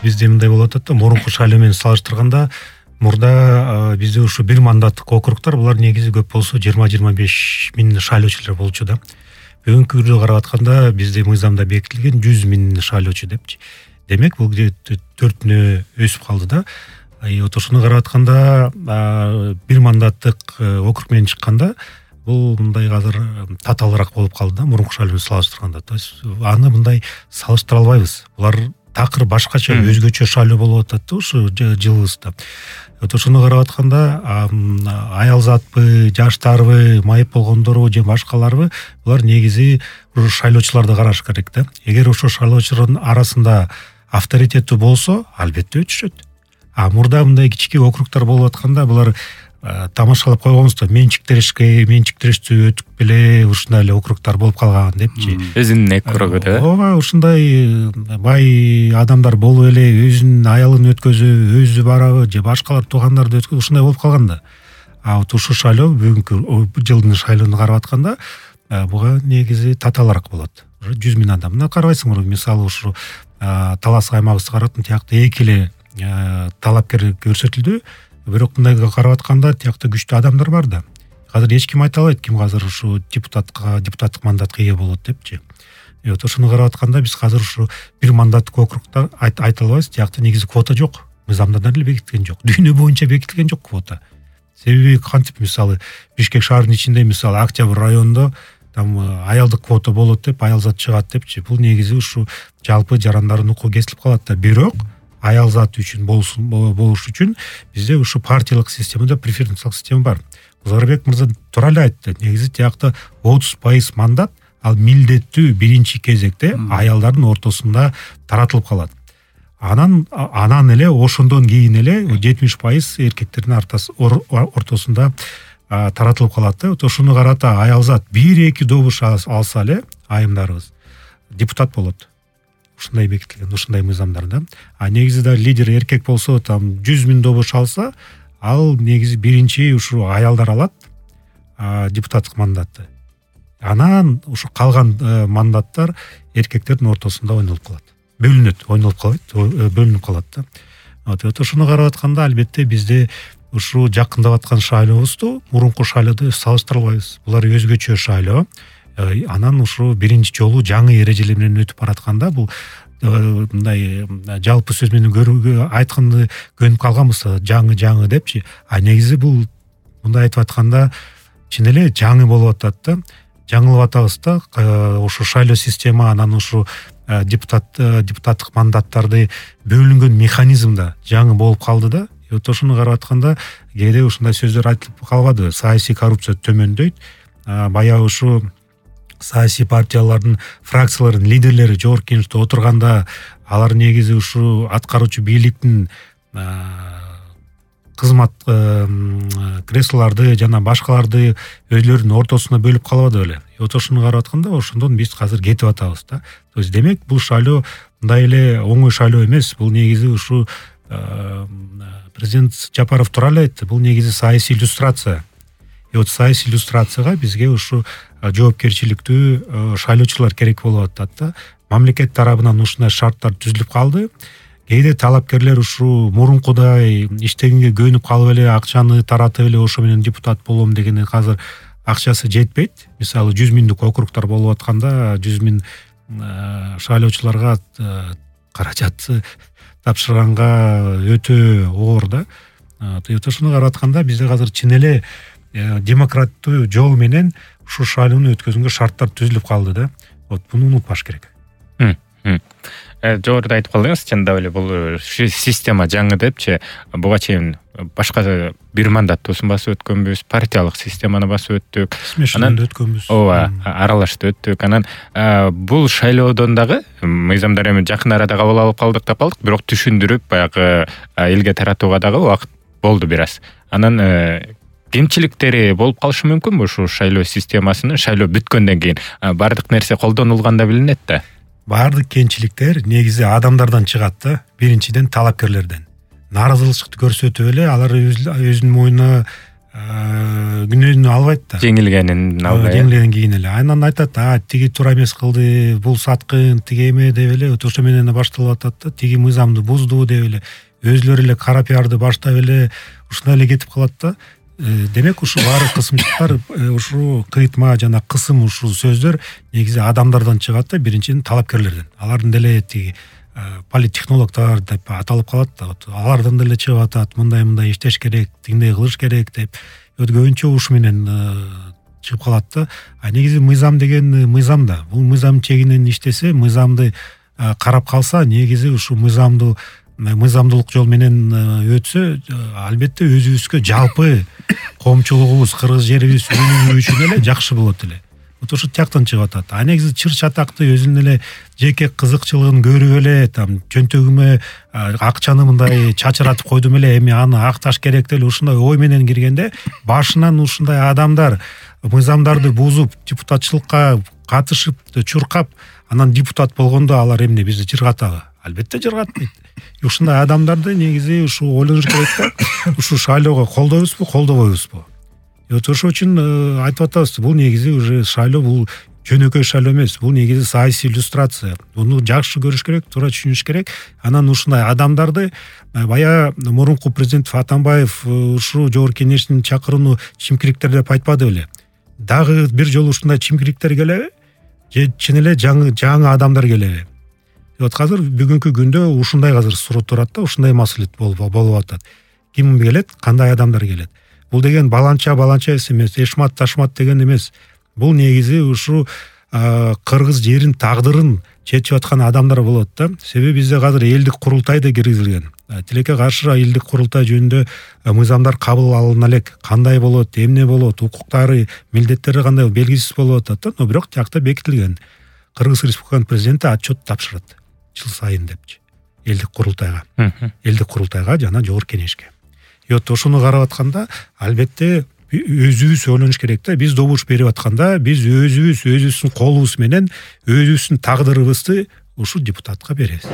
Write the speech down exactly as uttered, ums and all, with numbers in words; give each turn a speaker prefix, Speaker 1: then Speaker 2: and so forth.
Speaker 1: бизде мындай болуп атат да, мурунку шайлоо менен салыштырганда мурда бизде ушу бир мандаттык округтар булар негизи көп болсо жыйырма жыйырма беш миң шайлоочулар болчу да. Бүгүнкү күндө карап атканда бизде мыйзамда бекитилген жүз миң шайлоочу депчи. Демек бул төртүнө өсүп калды да. Вот ошону карап атканда бир мандаттык округ менен чыкканда бул мындай азыр татаалыраак болуп калды да, мурунку шайлоо менен салыштырганда. То есть аны мындай салыштыра албайбыз. Булар такыр башкача өзгөчө шайлоо болуп атат да ушу жылыбызда. Вот ошону карап атканда аялзатпы, жаштарбы, майып болгондорбу же башкаларбы, булар негизи ушу шайлоочуларды караш керек да. Эгер ошо шайлоочулардын арасында авторитеттүү болсо, албетте өтүшөт. А мурда мындай кичике округтар болуп атканда булар тамашалап койгонбуз да, менчиктешке, менчиктештүү өтүп беле ушундай эле округтар болуп калган депчи.
Speaker 2: Өзүнүн округу да.
Speaker 1: Ооба, ушундай бай адамдар болуп эле өзүнүн аялын өткөзүп, өзү барабы же башкалар туугандарды өткөзүп ушундай болуп калганда. А вот ушу шайлоо бүгүнкү жылдын шайлоону карап атканда буга негизи татаалыраак болот. жүз миң адам. Мына карабайсыңбы, мисалы ушу Талас аймагыбызды карап, тиякта эки эле талапкер көрсөтүлдү. Бирок мындай карап атканда тиякта күчтүү адамдар бар да. Азыр эч ким айта албайт ким азыр ушу депутатка, депутаттык мандатка ээ болот депчи. И вот ошону карап атканда биз азыр ушу бир мандаттык округта айта албайбыз. Тиякта негизи квота жок. Мыйзамда деле бекитилген жок. Дүйнө боюнча бекитилген жок квота. Себеби кантип, мисалы Бишкек шаарынын ичинде, мисалы Октябрь районунда там аялдык квота болот деп, аялзат чыгат депчи. Бул негизи ушу жалпы жарандардын укугу кесилип калат да. Бирок аялзат үчүн болуш үчүн бизде ушу партиялык системада преференциялык система бар. Узарбек мырза туура эле айтты. Негизи тиякта отуз пайыз мандат ал милдеттүү биринчи кезекте аялдардын ортосунда таратылып калат. Анан анан эле ошондон кийин эле жетимиш пайыз эркектердин ортосунда таратылып калат да. Ошону карата аялзат бир-эки добуш алса эле айымдарыбыз депутат болот. Ушундай бекитилген, ушундай мыйзамдарда. А негизи да лидер эркек болсо, там жүз миң добуш алса, ал негизи биринчи ушу аялдар алат депутаттык мандатты. Анан ушу калган мандаттар эркектердин ортосунда ойнолуп калат. Бөлүнөт, ойнолуп калбайт, бөлүнүп калат да. Вот ошону карап атканда албетте бизде ушу жакындап аткан шайлообузду мурунку шайлоодо салыштыра албайбыз. Булар өзгөчө шайлоо. Анан ушу биринчи жолу жаңы эрежелер менен өтүп баратканда бул мындай жалпы сөз менен көрүүгө айтканды көнүп калганбыз, жаңы жаңы депчи. А негизи бул мындай айтып атканда чын эле жаңы болуп атат да. Жаңылып атабыз да. Ушу шайлоо система, анан ушу депутат депутаттык мандаттарды бөлүнгөн механизм да жаңы болуп калды да. Вот ошону карап атканда кээде ушундай сөздөр айтылып калбады. Саясий коррупция төмөндөйт. Баягы ушу саясий партиялардын фракциялардын лидерлери жогорку кеңеште отурганда алар негизи ушу аткаруучу бийликтин кызмат креслолорду жана башкаларды өзлөрүнүн ортосуна бөлүп калбады беле. Вот ошону карап атканда ошондон биз азыр кетип атабыз да. То есть демек бул шайлоо мындай эле оңой шайлоо эмес. Бул негизи ушу президент Жапаров туура эле айтты. Бул негизи саясий иллюстрация. И вот саясий иллюстрацияга бизге ушу жоопкерчиликтүү шайлоочулар керек болуп атат да. Мамлекет тарабынан ушундай шарттар түзүлүп калды. Кээде талапкерлер ушу мурункудай иштегенге көнүп калып эле акчаны таратып эле ошо менен депутат болом дегени азыр акчасы жетпейт. Мисалы жүз миңдик округтар болуп атканда жүз миң шайлоочуларга каражат тапшырганга өтө оор да. Ошону карап атканда бизде азыр чын эле демократтуу жол менен ушу шайлоону өткөзгөнгө шарттар түзүлүп калды да. Вот буну унутпаш керек.
Speaker 2: Жогоруда айтып калдыңыз, чындап эле бул система жаңы депчи, буга чейин башка бир мандаттуусун басып өткөнбүз, партиялык системаны басып өттүк.
Speaker 1: Анан өткөнбүз.
Speaker 2: Ооба, аралашты өттүк. Анан бул шайлоодон дагы мыйзамдар эми жакын арада кабыл алып калдык деп калдык, бирок түшүндүрүп баягы элге таратууга дагы убакыт болду бир аз. Анан кемчиликтери болуп калышы мүмкүнбү ушу шайлоо системасынын? Шайлоо бүткөндөн кийин баардык нерсе колдонулганда билинет да.
Speaker 1: Баардык кемчиликтер негизи адамдардан чыгат да. Биринчиден талапкерлерден. Нааразычылыкты көрсөтүп эле алар өзүнүн мойнуна күнөөнү албайт да,
Speaker 2: жеңилгенин албай,
Speaker 1: жеңилгенин кийин эле анан айтат, а тиги туура эмес кылды, бул саткын, тиги эме деп эле ошо менен башталып атат да, тиги мыйзамды бузду деп эле өзүлөрү эле кара пиарды баштап эле ушундай эле кетип калат да. Демек ушу баары кысымчылыктар, ушу кыйтма жана кысым ушул сөздөр негизи адамдардан чыгат да, биринчиден талапкерлерден. Алардын деле тиги политтехнологдор деп аталып калат да, алардан деле чыгып атат, мындай мындай иштеш керек, тигиндей кылыш керек деп. Көбүнчө ушу менен чыгып калат да. А негизи мыйзам деген мыйзам да. Бул мыйзам чегинен иштесе, мыйзамды карап калса, негизи ушу мыйзамды мыйзамдуулук жол менен өтсө, албетте өзүбүзгө жалпы коомчулугубуз, кыргыз жерибиз үчүн эле жакшы болот эле. Вот ошо тияктан чыгып атат. А негизи чыр чатакты өзүнүн эле жеке кызыкчылыгын көрүп эле, там чөнтөгүмө акчаны мындай чачыратып койдум эле, эми аны акташ керек деле ушундай ой менен киргенде, башынан ушундай адамдар мыйзамдарды бузуп, депутатчылыкка катышып, чуркап, анан депутат болгондо алар эмне бизди жыргатабы? Албетте жыргатпайт. Ушундай адамдарды негизи ушу ойлонуш керек да, ушу шайлоого колдойбузбу, колдобойбузбу? Вот ошол үчүн айтып атабыз, бул негизи уже шайлоо, бул жөнөкөй шайлоо эмес, бул негизи саясий иллюстрация. Муну жакшы көрүш керек, туура түшүнүш керек. Анан ушундай адамдарды бая мурунку президент Атамбаев ушу жогорку кеңештин чакырууну чимкириктер деп айтпады беле? Дагы бир жолу ушундай чимкириктер келеби? Же чын эле жаңы жаңы адамдар келеби? Вот азыр бүгүнкү күндө ушундай азыр суроо турат да, ушундай маселе болуп атат. Ким келет, кандай адамдар келет? Бул деген баланча баланча эмес, эшмат ташмат деген эмес. Бул негизи ушу кыргыз жерин тагдырын чечип аткан адамдар болот да. Себеби бизде азыр элдик курултай да киргизилген. Тилекке каршы элдик курултай жөнүндө мыйзамдар кабыл алына элек, кандай болот, эмне болот, укуктары, милдеттери кандай белгисиз болуп атат да, но бирок тиякта бекитилген. Кыргыз Республиканын президенти отчет тапшырат жыл сайын депчи элдик курултайга, элдик курултайга жана жогорку кеңешке. И вот ошону карап атканда, албетте өзүбүз ойлонуш керек да. Биз добуш берип атканда, биз өзүбүз өзүбүздүн колубуз менен өзүбүздүн тагдырыбызды ушул депутатка беребиз.